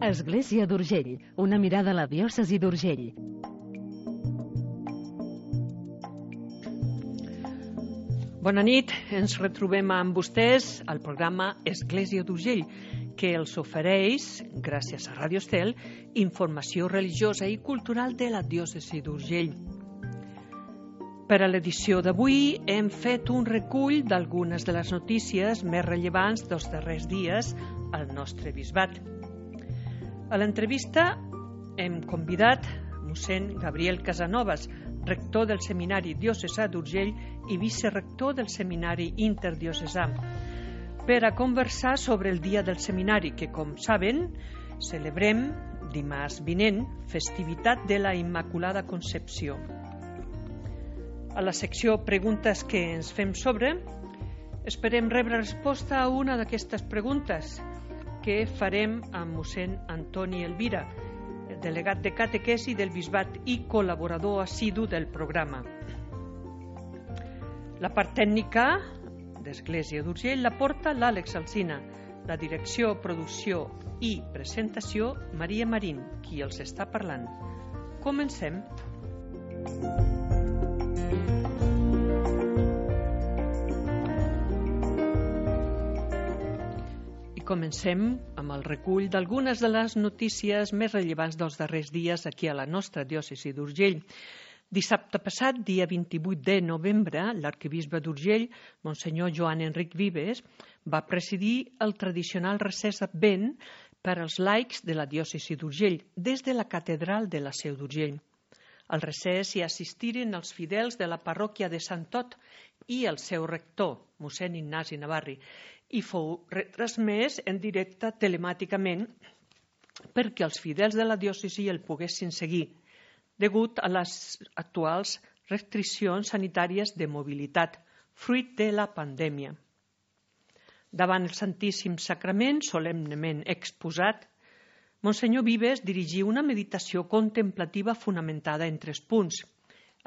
Església d'Urgell, una mirada a la diòcesi d'Urgell. Bona nit, ens retrobem amb vostès al programa Església d'Urgell, que els ofereix, gràcies a Ràdio Estel, informació religiosa i cultural de la diòcesi d'Urgell. Per a l'edició d'avui hem fet un recull d'algunes de les notícies més rellevants dels darrers dies al nostre bisbat. A l'entrevista hem convidat mossèn Gabriel Casanovas, rector del Seminari Diocesà d'Urgell i vicerector del Seminari Interdiocesà, per a conversar sobre el Dia del Seminari, que, com saben, celebrem dimarts vinent, festivitat de la Immaculada Concepció. A la secció Preguntes que ens fem sobre, esperem rebre resposta a una d'aquestes preguntes que farem amb mossèn Antoni Elvira, delegat de catequesi del bisbat i col·laborador assidu del programa. La part tècnica d'Església d'Urgell la porta l'Àlex Alsina, la direcció, producció i presentació Maria Marín, qui els està parlant. Comencem. Comencem amb el recull d'algunes de les notícies més rellevants dels darrers dies aquí a la nostra diòcesi d'Urgell. Dissabte passat, dia 28 de novembre, l'arquebisbe d'Urgell, monsenyor Joan Enric Vives, va presidir el tradicional recés d'Advent per als laics de la diòcesi d'Urgell, des de la catedral de la Seu d'Urgell. Al recés hi assistiren els fidels de la parròquia de Sant Ot i el seu rector, mossèn Ignasi Navarri, i fou retransmès en directe telemàticament perquè els fidels de la diòcesi el poguessin seguir, degut a les actuals restriccions sanitàries de mobilitat, fruit de la pandèmia. Davant el Santíssim Sagrament, solemnement exposat, monsenyor Vives dirigí una meditació contemplativa fonamentada en 3 punts.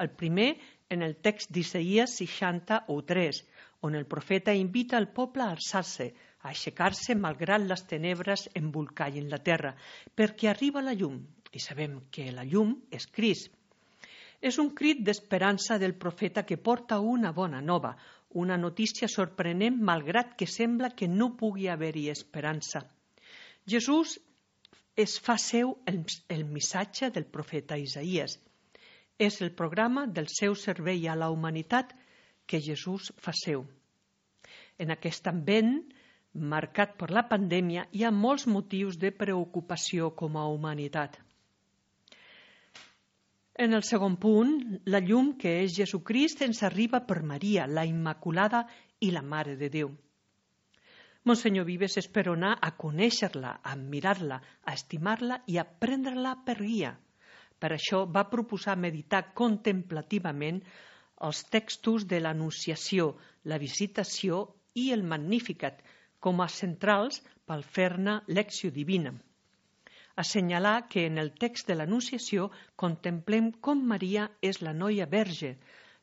El primer, en el text d'Isaïes 60:3, on el profeta invita el poble a alçar-se, a aixecar-se malgrat les tenebres embolcallen la terra, perquè arriba la llum, i sabem que la llum és Crist. És un crit d'esperança del profeta que porta una bona nova, una notícia sorprenent malgrat que sembla que no pugui haver-hi esperança. Jesús es fa seu el missatge del profeta Isaïes. És el programa del seu servei a la humanitat que Jesús fa seu. En aquest ambient, marcat per la pandèmia, hi ha molts motius de preocupació com a humanitat. En el segon punt, la llum que és Jesucrist ens arriba per Maria, la Immaculada i la Mare de Déu. Monsenyor Vives esperona a conèixer-la, a admirar-la, a estimar-la i a prendre-la per guia. Per això va proposar meditar contemplativament els textos de l'Anunciació, la Visitació i el Magnificat com a centrals pel fer-ne lecció divina. Assenyalar que en el text de l'Anunciació contemplem com Maria és la noia verge,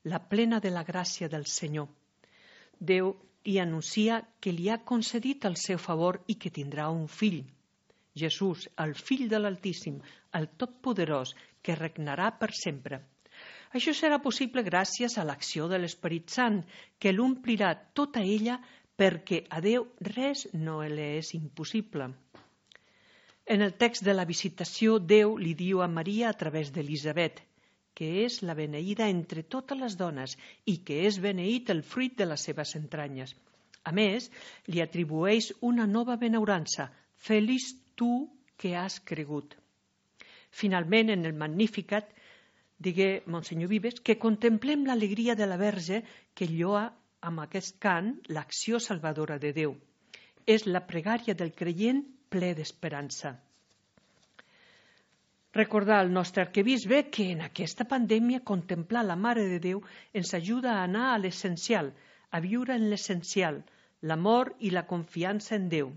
la plena de la gràcia del Senyor. Déu hi anuncia que li ha concedit el seu favor i que tindrà un fill. Jesús, el fill de l'Altíssim, el Totpoderós, que regnarà per sempre. Això serà possible gràcies a l'acció de l'Esperit Sant, que l'omplirà tota ella perquè a Déu res no li és impossible. En el text de la Visitació, Déu li diu a Maria a través d'Elisabet, que és la beneïda entre totes les dones i que és beneït el fruit de les seves entranyes. A més, li atribueix una nova benaurança, feliç tu que has cregut. Finalment, en el Magnificat, digué monsenyor Vives, que contemplem l'alegria de la Verge que lloa amb aquest cant l'acció salvadora de Déu. És la pregària del creient ple d'esperança. Recordar al nostre arquebisbe que en aquesta pandèmia contemplar la Mare de Déu ens ajuda a anar a l'essencial, a viure en l'essencial, l'amor i la confiança en Déu,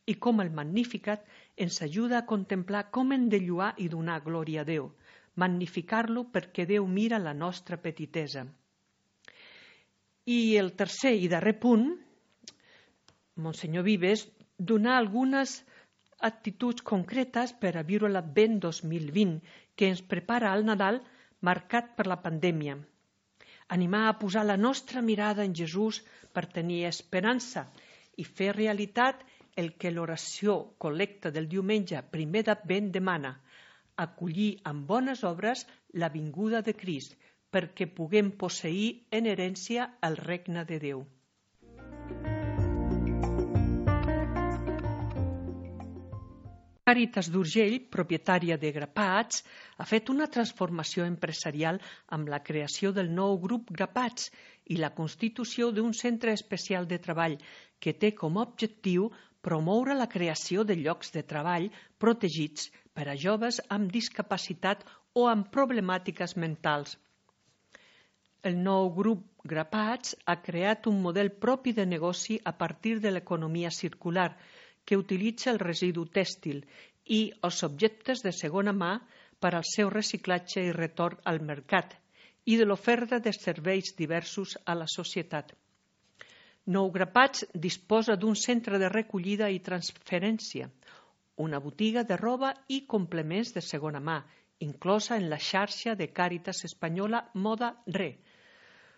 i com el Magnificat ens ajuda a contemplar com hem de lloar i donar glòria a Déu, magnificar-lo perquè Déu mira la nostra petitesa. I el tercer i darrer punt, monsenyor Vives, donar algunes actituds concretes per a viure l'Advent 2020, que ens prepara al Nadal marcat per la pandèmia. Animar a posar la nostra mirada en Jesús per tenir esperança i fer realitat el que l'oració col·lecta del diumenge primer d'Advent demana, acollir amb bones obres la vinguda de Crist, perquè puguem posseir en herència el regne de Déu. Càritas d'Urgell, propietària de Grapats, ha fet una transformació empresarial amb la creació del nou grup Grapats i la constitució d'un centre especial de treball que té com a objectiu promoure la creació de llocs de treball protegits per a joves amb discapacitat o amb problemàtiques mentals. El nou grup Grapats ha creat un model propi de negoci a partir de l'economia circular, que utilitza el residu tèxtil i els objectes de segona mà per al seu reciclatge i retorn al mercat i de l'oferta de serveis diversos a la societat. Nou Grapats disposa d'un centre de recollida i transferència, una botiga de roba i complements de segona mà, inclosa en la xarxa de Càritas Espanyola Moda Re.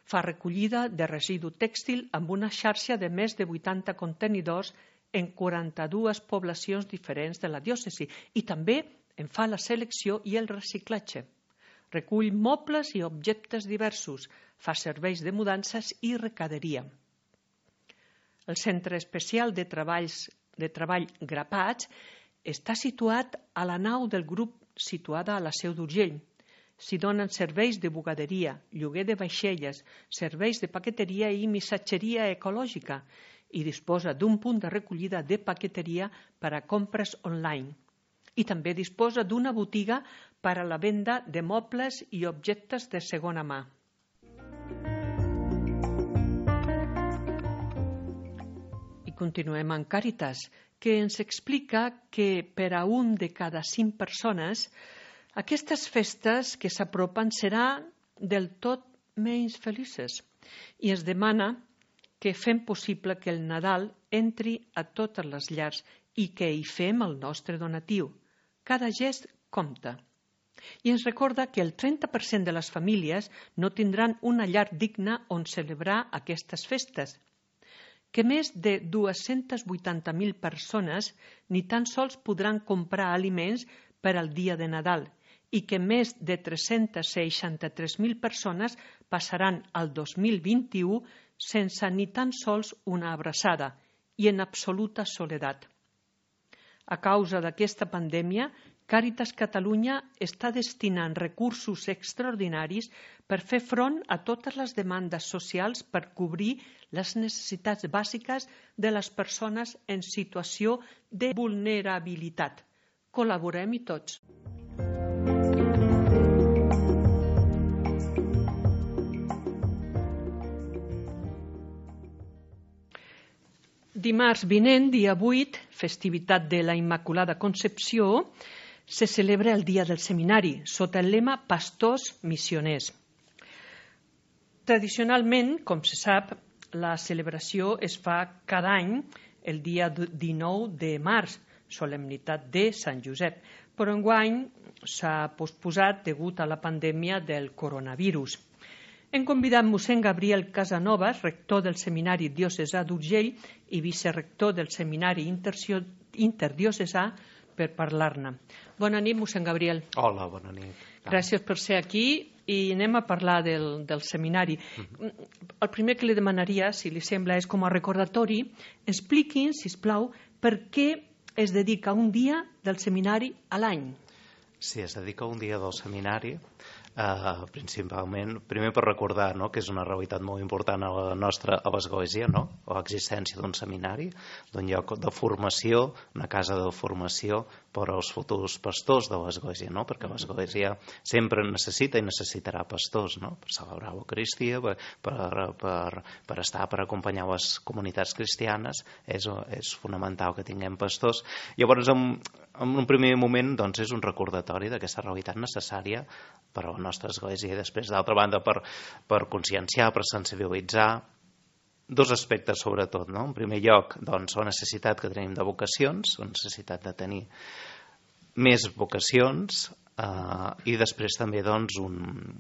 Fa recollida de residu tèxtil amb una xarxa de més de 80 contenidors en 42 poblacions diferents de la diòcesi i també en fa la selecció i el reciclatge. Recull mobles i objectes diversos, fa serveis de mudances i recaderia. El Centre Especial de Treball Grapats està situat a la nau del grup situada a la Seu d'Urgell. S'hi donen serveis de bugaderia, lloguer de vaixelles, serveis de paqueteria i missatgeria ecològica i disposa d'un punt de recollida de paqueteria per a compres online. I també disposa d'una botiga per a la venda de mobles i objectes de segona mà. I continuem amb Càritas, que ens explica que per a un de cada 5 persones aquestes festes que s'apropen seran del tot menys felices i es demana que fem possible que el Nadal entri a totes les llars i que hi fem el nostre donatiu. Cada gest compta. I ens recorda que el 30% de les famílies no tindran una llar digna on celebrar aquestes festes, que més de 280.000 persones ni tan sols podran comprar aliments per al dia de Nadal i que més de 363.000 persones passaran el 2021 sense ni tan sols una abraçada i en absoluta soledat. A causa d'aquesta pandèmia, Càritas Catalunya està destinant recursos extraordinaris per fer front a totes les demandes socials per cobrir les necessitats bàsiques de les persones en situació de vulnerabilitat. Col·laborem-hi tots. Dimarts vinent, dia 8, festivitat de la Immaculada Concepció, se celebra el Dia del Seminari, sota el lema Pastors Missioners. Tradicionalment, com se sap, la celebració es fa cada any el dia 19 de març, solemnitat de Sant Josep, però enguany s'ha posposat degut a la pandèmia del coronavirus. Hem convidat mossèn Gabriel Casanovas, rector del Seminari Diocesà d'Urgell i vicerector del Seminari Interdiocesà, per parlar-ne. Bona nit, mossèn Gabriel. Hola, bona nit. Gràcies per ser aquí i anem a parlar del seminari. El primer que li demanaria, si li sembla, és com a recordatori, expliquin, sisplau, per què es dedica un dia del seminari a l'any. Sí, es dedica un dia del seminari, principalment, primer per recordar, no?, que és una realitat molt important a la nostra a l'Església, no?, l'existència d'un seminari, d'un lloc de formació, una casa de formació per als futurs pastors de l'Església, no?, perquè l'Església sempre necessita i necessitarà pastors, no?, per celebrar l'Eucaristia, per estar, per acompanyar les comunitats cristianes, és fonamental que tinguem pastors. Llavors, en un primer moment, doncs, és un recordatori d'aquesta realitat necessària per a la nostra Església i després, d'altra banda, per conscienciar, per sensibilitzar dos aspectes sobretot, no? En primer lloc, doncs, la necessitat que tenim de vocacions, la necessitat de tenir més vocacions, i després també doncs,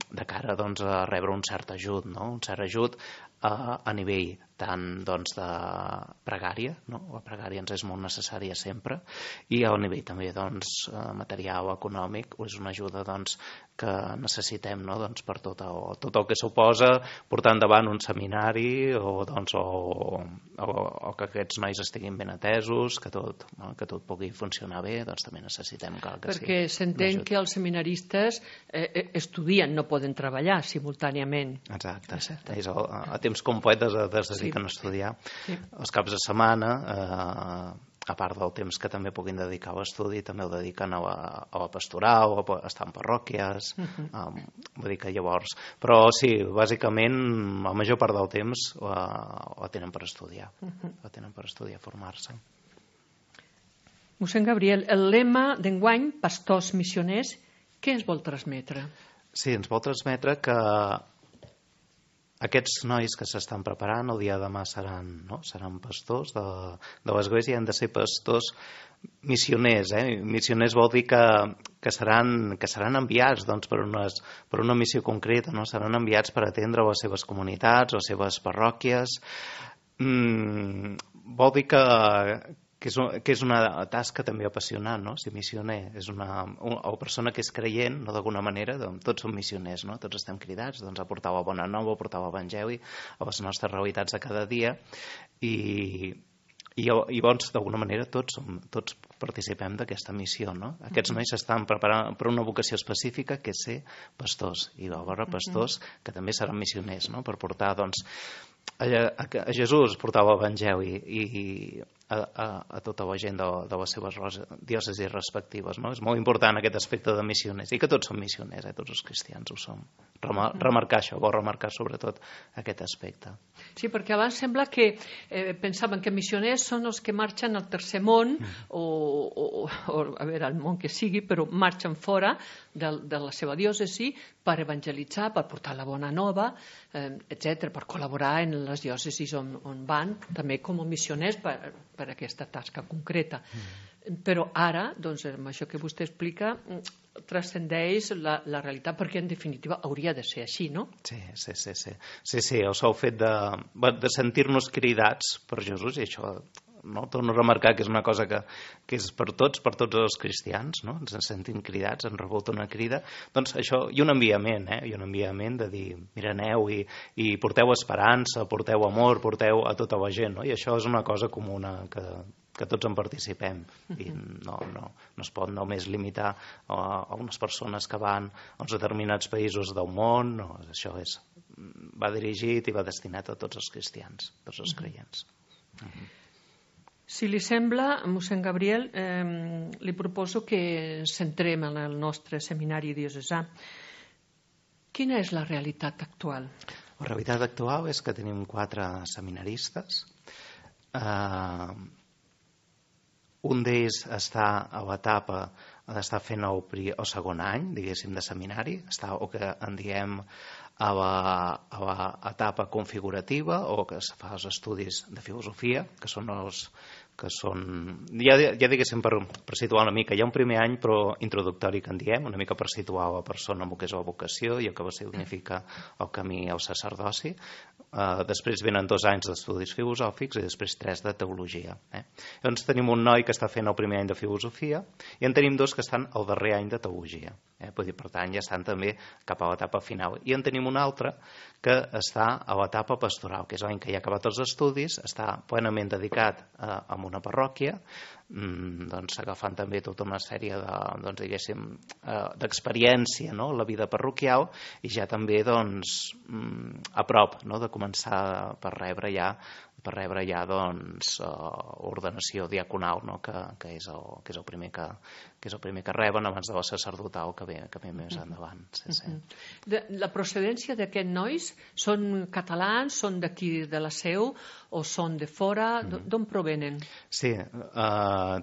de cara doncs, a rebre un cert ajut, no? Un cert ajut a nivell tant doncs, de pregària, no? La pregària ens és molt necessària sempre, i a nivell també doncs, material o econòmic, és una ajuda doncs, que necessitem, no? Doncs, per tot el que suposa portar endavant un seminari o que aquests nois estiguin ben atesos, que tot pugui funcionar bé, doncs també necessitem que perquè s'entén que els seminaristes estudien, no poden treballar simultàniament. Exacte. A temps complet es dediquen a estudiar. Sí. Els caps de setmana, a part del temps que també puguin dedicar a l'estudi, també el dediquen a la pastoral, a estar en parròquies, vull dir que llavors... Però sí, bàsicament, la major part del temps la tenen per estudiar, formar-se. Mossèn Gabriel, el lema d'enguany, Pastors Missioners, què ens vol transmetre? Sí, ens vol transmetre que aquests nois que s'estan preparant el dia de demà seran pastors de l'Església, han de ser pastors missioners. Missioners vol dir que seran enviats doncs, per una missió concreta, no? Seran enviats per atendre les seves comunitats, les seves parròquies. Vol dir que és una tasca també apassionant, no? Ser missioner és una persona que és creient, no, d'alguna manera, doncs, tots som missioners, no? Tots estem cridats doncs, a portar la bona nova, a portar l'evangeli a les nostres realitats de cada dia, i llavors d'alguna manera tots participem d'aquesta missió, no? Aquests nois s'estan preparant per una vocació específica que és ser pastors, i alhora pastors que també seran missioners, no? Per portar doncs, a Jesús, portar l'evangeli i a tota la gent de les seves diòcesis respectives, no? És molt important aquest aspecte de missioners, i que tots som missioners, tots els cristians ho som. Remarcar això, vol remarcar sobretot aquest aspecte. Sí, perquè abans sembla que pensaven que missioners són els que marxen al tercer món o a veure, al món que sigui, però marxen fora de la seva diòcesi per evangelitzar, per portar la bona nova, etc., per col·laborar en les diòcesis on van, també com a missioners per aquesta tasca concreta. Però ara, doncs, amb això que vostè explica, transcendeix la realitat, perquè en definitiva hauria de ser així, no? Sí, el sol fet de sentir-nos cridats per Jesús, i això, no? Torno a remarcar que és una cosa que és per tots els cristians, no? Ens sentim cridats, ens rebut una crida, doncs això, i un enviament de dir, mira, aneu i porteu esperança, porteu amor, porteu a tota la gent, no? I això és una cosa comuna que tots en participem, i no es pot només limitar a unes persones que van a uns determinats països del món, no, això va dirigit i va destinat a tots els cristians, tots els creients. Si li sembla, mossèn Gabriel, li proposo que centrem en el nostre seminari diocesà. Quina és la realitat actual? La realitat actual és que tenim 4 seminaristes. Un d'ells està a l'etapa d'estar fent el segon any, diguéssim, de seminari, està el que en diem a l'etapa configurativa, o que es fa els estudis de filosofia, que són ja diguéssim per situar una mica, hi ha un primer any però introductori que en diem, una mica per situar la persona en el que és la vocació i el que significa el camí al sacerdoci. Després venen 2 anys d'estudis filosòfics i després 3 de teologia. Llavors tenim un noi que està fent el primer any de filosofia i en tenim 2 que estan al darrer any de teologia. Per tant, ja estan també cap a l'etapa final. I en tenim un altre que està a l'etapa pastoral, que és l'any que ja ha acabat els estudis, està plenament dedicat a una parròquia, doncs agafant també tota una sèrie d'experiència, no?, la vida parroquial, i ja també a prop, no?, de començar per rebre ja ordenació diaconal, no?, que és el primer que reben abans de la sacerdotal que ve més endavant. La procedència d'aquests nois són catalans, són d'aquí de la Seu o són de fora? D'on provenen? Sí,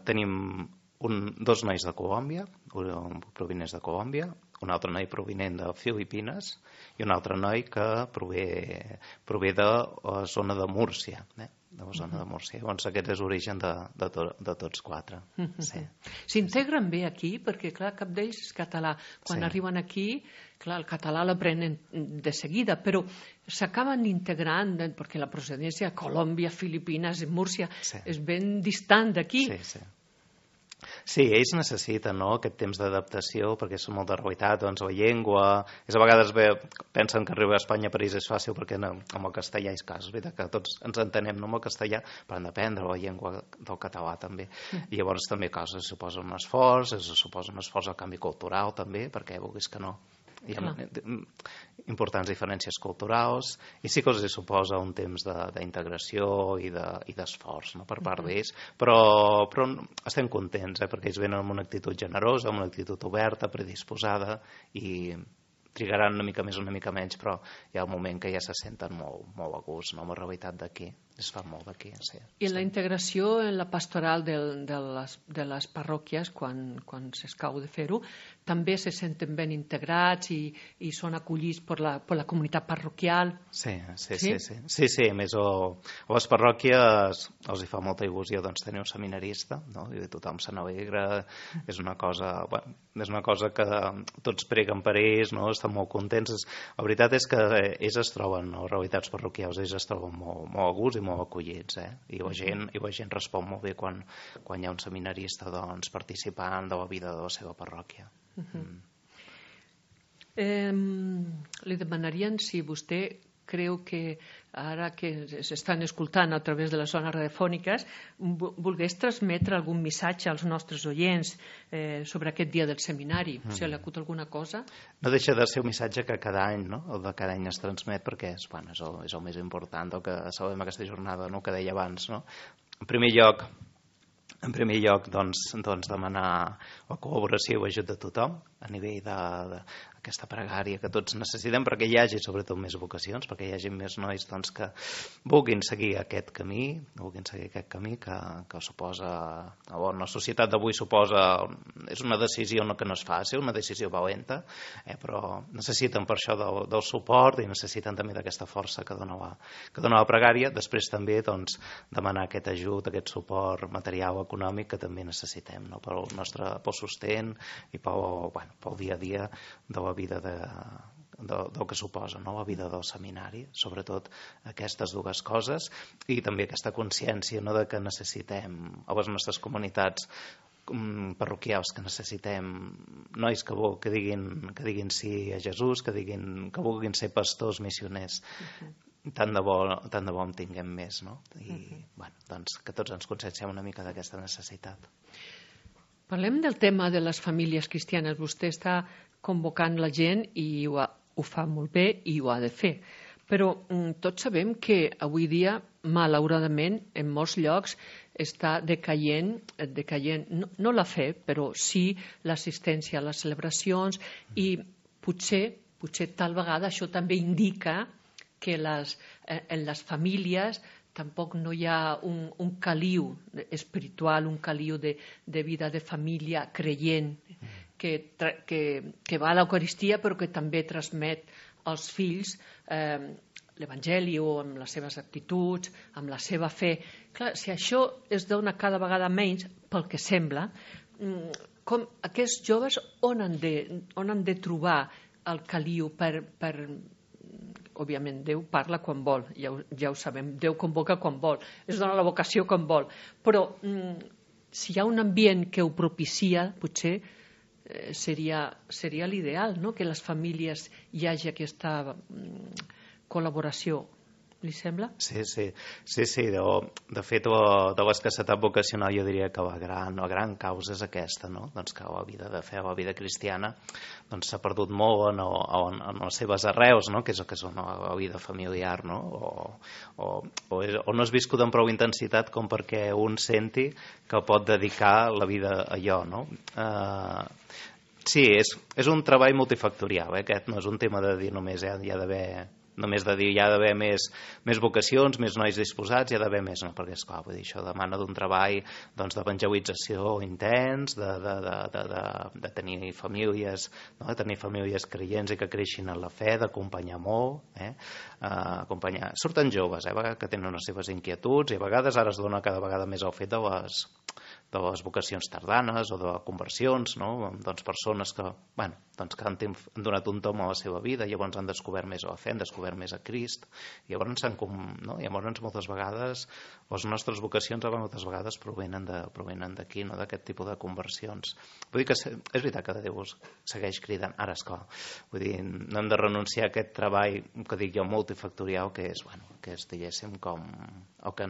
tenim dos nois de Colòmbia, un provinents de Colòmbia, un altre noi provinent de Filipines i un altre noi que prové de la zona de Múrcia, de la zona de Múrcia. Llavors aquest és l'origen de tots quatre. Sí. S'integren bé aquí, perquè clar, cap d'ells és català. Quan arriben aquí, clar, el català l'aprenen de seguida, però s'acaben integrant, perquè la procedència Colòmbia, Filipines i Múrcia és ben distant d'aquí. Sí, ells necessiten aquest temps d'adaptació perquè són molt de realitat, doncs la llengua... A vegades pensen que arribar a Espanya a París és fàcil perquè amb el castellà és cas. És veritat que tots ens entenem amb el castellà, però han d'aprendre la llengua del català també. I llavors també coses suposa un esforç, suposa un esforç al canvi cultural també, perquè vulguis que no. Hi ha importants diferències culturals i sí que els suposa un temps d'integració i d'esforç per part d'ells, però estem contents perquè ells venen amb una actitud generosa, amb una actitud oberta, predisposada i trigaran una mica més o una mica menys, però hi ha un moment que ja se senten molt a gust amb la realitat d'aquí, es fa molt d'aquí. I la integració en la pastoral de les parròquies, quan s'escau de fer-ho, també se senten ben integrats i són acollits per la comunitat parroquial? Sí. A més, a les parròquies els hi fa molta il·lusió tenir un seminarista, i tothom se n'alegra, és una cosa que tots preguen per ells, estan molt contents. La veritat és que ells es troben, les realitats parroquials, ells es troben molt a gust i molt acollits, i la gent respon molt bé quan hi ha un seminarista participant de la vida de la seva parròquia. Li demanarien si vostè creu que ara que s'estan escoltant a través de les zones radiofòniques volgués transmetre algun missatge als nostres oients sobre aquest dia del seminari. Si li acut alguna cosa? No deixa de ser un missatge que cada any, el de cada any es transmet perquè és el més important, el que sabem aquesta jornada, que deia abans. En primer lloc, demanar la col·laboració i l'ajut de tothom a nivell d'aquesta pregària que tots necessitem perquè hi hagi sobretot més vocacions, perquè hi hagi més nois que vulguin seguir aquest camí que suposa, la societat d'avui suposa, és una decisió que no és fàcil, una decisió valenta, però necessiten per això del suport i necessiten també d'aquesta força que dona la pregària. Després també demanar aquest ajut, aquest suport material, econòmic que també necessitem pel sostén i pel dia a dia de la vida del que suposa la vida del seminari, sobretot aquestes dues coses, i també aquesta consciència de que necessitem a les nostres comunitats parroquials, que necessitem nois que diguin sí a Jesús, que vulguin ser pastors missioners. Tant de bo en tinguem més, i que tots ens conscienciem una mica d'aquesta necessitat. Parlem del tema de les famílies cristianes. Vostè està convocant la gent i ho fa molt bé i ho ha de fer. Però tots sabem que avui dia, malauradament, en molts llocs està decaient no la fe, però sí l'assistència a les celebracions i potser tal vegada això també indica que en les famílies tampoc no hi ha un caliu espiritual, un caliu de vida de família creient que va a l'Eucaristia però que també transmet als fills l'Evangeli o amb les seves actituds, amb la seva fe. Clar, si això es dona cada vegada menys, pel que sembla, aquests joves on han de trobar el caliu per òbviament Déu parla quan vol, ja ho sabem, Déu convoca quan vol, es dona la vocació quan vol, però si hi ha un ambient que ho propicia, potser seria l'ideal, que les famílies hi hagi aquesta col·laboració. Li sembla? Sí. De fet, de l'escassetat vocacional jo diria que la gran causa és aquesta, que la vida de fe, la vida cristiana, s'ha perdut molt en les seves arrels, que és el que és la vida familiar, o no és viscut amb prou intensitat com perquè un senti que pot dedicar la vida a allò, Sí, és un treball multifactorial, aquest no és un tema de dir només hi ha d'haver només de dir hi ha d'haver més vocacions, més nois disposats, hi ha d'haver més, no? Perquè esclar, vull dir, això demana d'un treball doncs, d'evangelització intens, de tenir famílies, no? De tenir famílies creients i que creixin en la fe, d'acompanyar molt, acompanyar. Surten joves, que tenen les seves inquietuds i a vegades ara es dona cada vegada més el fet de les vocacions tardanes o de conversions, no? Doncs persones que, que han donat un tom a la seva vida, llavors han descobert més la fe, han descobert més a Crist, i llavors, llavors moltes vegades les nostres vocacions moltes vegades provenen d'aquí, no? D'aquest tipus de conversions. Vull dir que és veritat que Déu segueix cridant, ara esclar, vull dir, no hem de renunciar a aquest treball que dic jo multifactorial, que és diguéssim com el que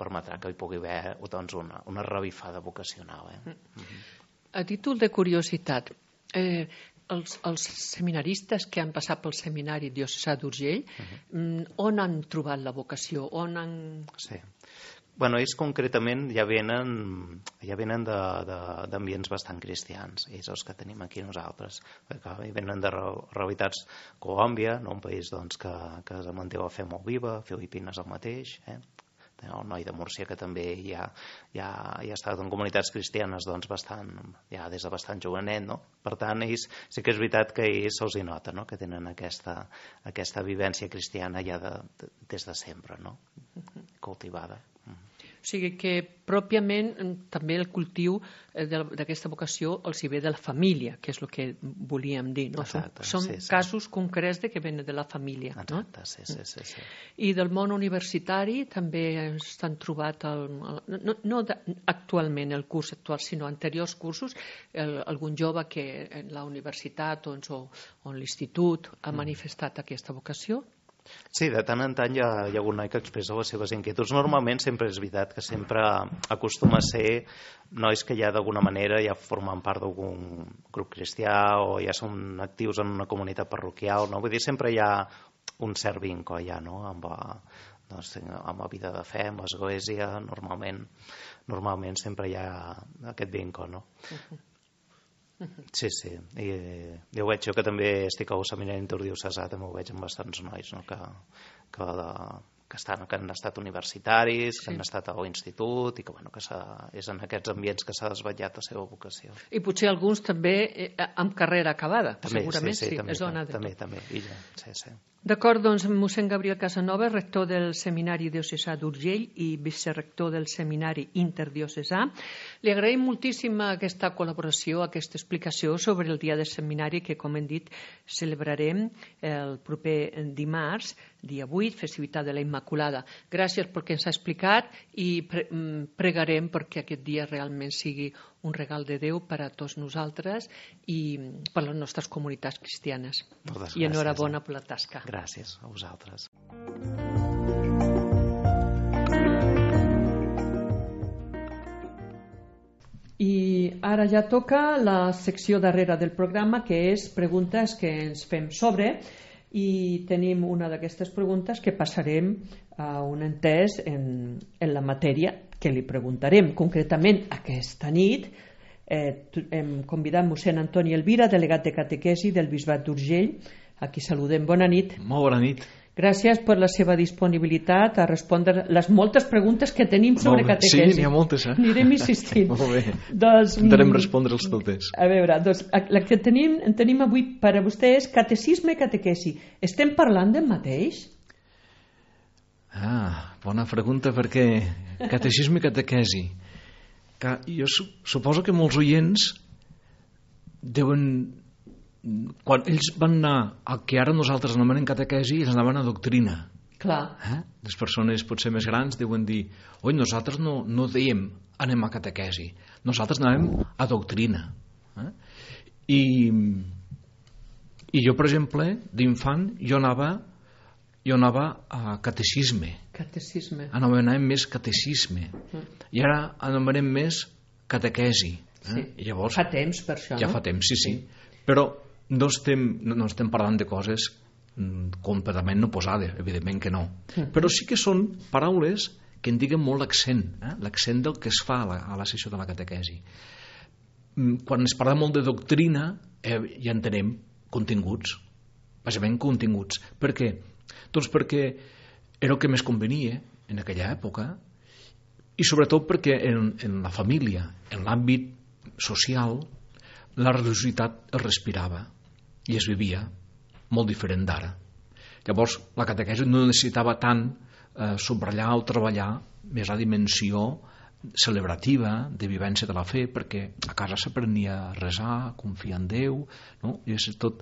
permetrà que hi pugui haver doncs, una revifada vocacional. A títol de curiositat, els seminaristes que han passat pel seminari diocesà d'Urgell, on han trobat la vocació? Sí. Ells concretament ja venen d'ambients bastant cristians, ells els que tenim aquí nosaltres, perquè venen de realitats Colòmbia, un país que es manté la fe molt viva, Filipines el mateix, el noi de Múrcia que també ja ha estat en comunitats cristianes bastant, ja des de bastant jovenet, no? Per tant, ells sí que és veritat que ells se'ls hi nota, no? Que tenen aquesta vivència cristiana ja des de sempre, no? Cultivada. O sigui que pròpiament també el cultiu d'aquesta vocació els hi ve de la família, que és el que volíem dir, no? Exacte, són casos concrets de que venen de la família. Exacte, no? Sí. I del món universitari també s'han trobat, no actualment el curs actual, sinó anteriors cursos, algun jove que en la universitat o en l'institut ha manifestat aquesta vocació? Sí, de tant en tant hi ha algun noi que expressa les seves inquietuds. Normalment sempre és veritat que sempre acostuma a ser nois que ja d'alguna manera ja formen part d'algun grup cristià o ja són actius en una comunitat parroquial, no? Vull dir, sempre hi ha un cert vincle ja, no? Amb la vida de fe, amb l'església, normalment sempre hi ha aquest vincle, no? Sí, i jo veig, jo que també estic al seminari interdiocesà, també ho veig amb bastants nois, no? que han estat universitaris, que han estat a l'institut i que és en aquests ambients que s'ha desvetllat la seva vocació. I potser alguns també amb carrera acabada, també, segurament sí. També, sí. D'acord, doncs mossèn Gabriel Casanova, rector del Seminari Diocesà d'Urgell i vicerector del Seminari Interdiocesà. Li agraïm moltíssim aquesta col·laboració, aquesta explicació sobre el dia del seminari que, com hem dit, celebrarem el proper dimarts, dia 8, festivitat de la Immaculada. Gràcies pel que ens ha explicat i pregarem perquè aquest dia realment sigui un regal de Déu per a tots nosaltres i per a les nostres comunitats cristianes. I enhorabona per la tasca. Gràcies a vosaltres. I ara ja toca la secció darrere del programa, que és preguntes que ens fem sobre, i tenim una d'aquestes preguntes que passarem a un entès en la matèria que li preguntarem. Concretament, aquesta nit hem convidat mossèn Antoni Elvira, delegat de catequesi del Bisbat d'Urgell. Aquí saludem. Bona nit. Molt bona nit. Gràcies per la seva disponibilitat a respondre les moltes preguntes que tenim sobre catequesi. Sí, n'hi ha moltes, Anirem insistint. Molt bé. Intentarem respondre'ls totes. A veure, doncs, la que tenim avui per a vostè és catecisme i catequesi. Estem parlant del mateix? Bona pregunta, perquè catecisme i catequesi. Jo suposo que molts oients deuen... Quan ells van anar al que ara nosaltres anomenem catequesi, ells anaven a doctrina. Clar. Les persones potser més grans deuen dir, oi, nosaltres no dèiem anem a catequesi, nosaltres anàvem a doctrina. I jo, per exemple, d'infant, jo anava a catecisme. Anomenàvem més catecisme. I ara anomenem més catequesi. Llavors, fa temps per això, no? Ja fa temps, sí. Però no estem parlant de coses completament no posades, evidentment que no. Però sí que són paraules que indiquen molt l'accent, l'accent del que es fa a la sessió de la catequesi. Quan es parla molt de doctrina, ja entenem continguts, bàsicament continguts. Per què? Doncs perquè era el que més convenia en aquella època, i sobretot perquè en la família, en l'àmbit social, la religiositat es respirava i es vivia molt diferent d'ara. Llavors la catequesi no necessitava tant subratllar o treballar més la dimensió celebrativa de vivència de la fe, perquè a casa s'aprenia a resar, a confiar en Déu, no? I és tot.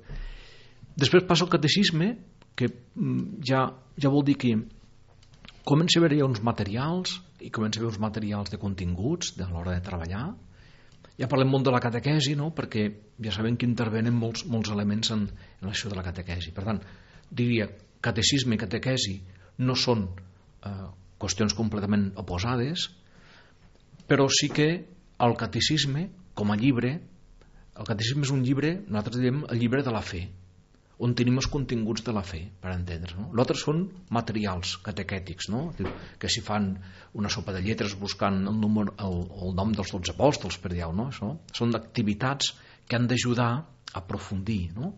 Després passa el catecisme, que ja vol dir que comença a haver-hi uns materials, i comença a haver uns materials de continguts a l'hora de treballar. Ja parlem molt de la catequesi, no? Perquè ja sabem que intervenen molts elements en l'acció de la catequesi. Per tant, diria, catecisme i catequesi no són qüestions completament oposades, però sí que el catecisme, com a llibre, el catecisme és un llibre, nosaltres diem el llibre de la fe, on tenim els continguts de la fe, per entendre, no? L'altre són materials catequètics, no? Que si fan una sopa de lletres buscant el nom dels 12 apòstols, per dir-ho, no? Això són activitats que han d'ajudar a aprofundir, no?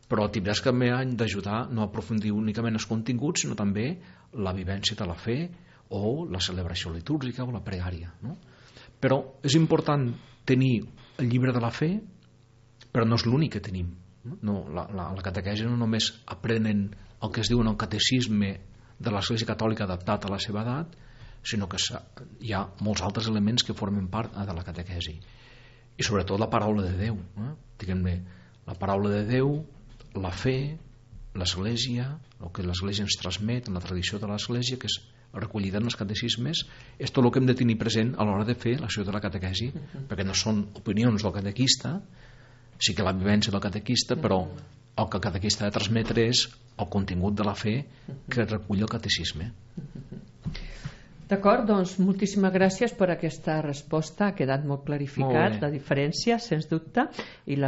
Però activitats que també han d'ajudar no a aprofundir únicament els continguts, sinó també la vivència de la fe o la celebració litúrgica o la pregària, no? Però és important tenir el llibre de la fe, però no és l'únic que tenim. No, la catequesi no només aprenen el que es diu en el catecisme de l'Església Catòlica adaptat a la seva edat, sinó que hi ha molts altres elements que formen part de la catequesi, i sobretot la paraula de Déu, diguem-ne, la paraula de Déu, la fe, l'Església, el que l'Església ens transmet en la tradició de l'Església, que és recollida en els catecismes, és tot el que hem de tenir present a l'hora de fer l'acció de la catequesi, perquè no són opinions del catequista, sí que la vivència del catequista, però el que el catequista ha de transmetre és el contingut de la fe que recull el catecisme. D'acord, doncs moltíssimes gràcies per aquesta resposta, ha quedat molt clarificat la diferència, sens dubte, i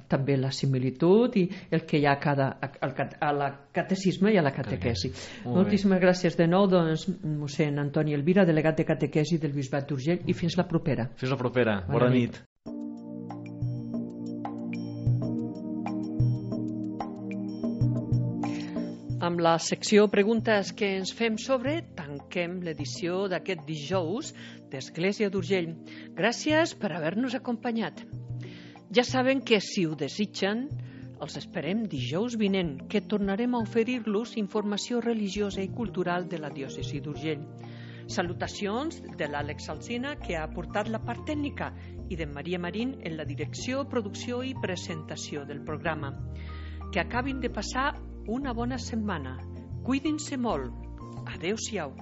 també la similitud i el que hi ha a la catecisme i a la catequesi. Moltíssimes gràcies de nou, doncs, mossèn Antoni Elvira, delegat de catequesi del Bisbat d'Urgell, i fins la propera. Fins la propera, bona nit. Amb la secció Preguntes que ens fem sobre, tanquem l'edició d'aquest dijous d'Església d'Urgell. Gràcies per haver-nos acompanyat. Ja saben que, si ho desitgen, els esperem dijous vinent, que tornarem a oferir-los informació religiosa i cultural de la diòcesi d'Urgell. Salutacions de l'Àlex Alsina, que ha aportat la part tècnica, i de Maria Marín en la direcció, producció i presentació del programa. Que acabin de passar una bona setmana. Cuidin-se molt. Adéu-siau.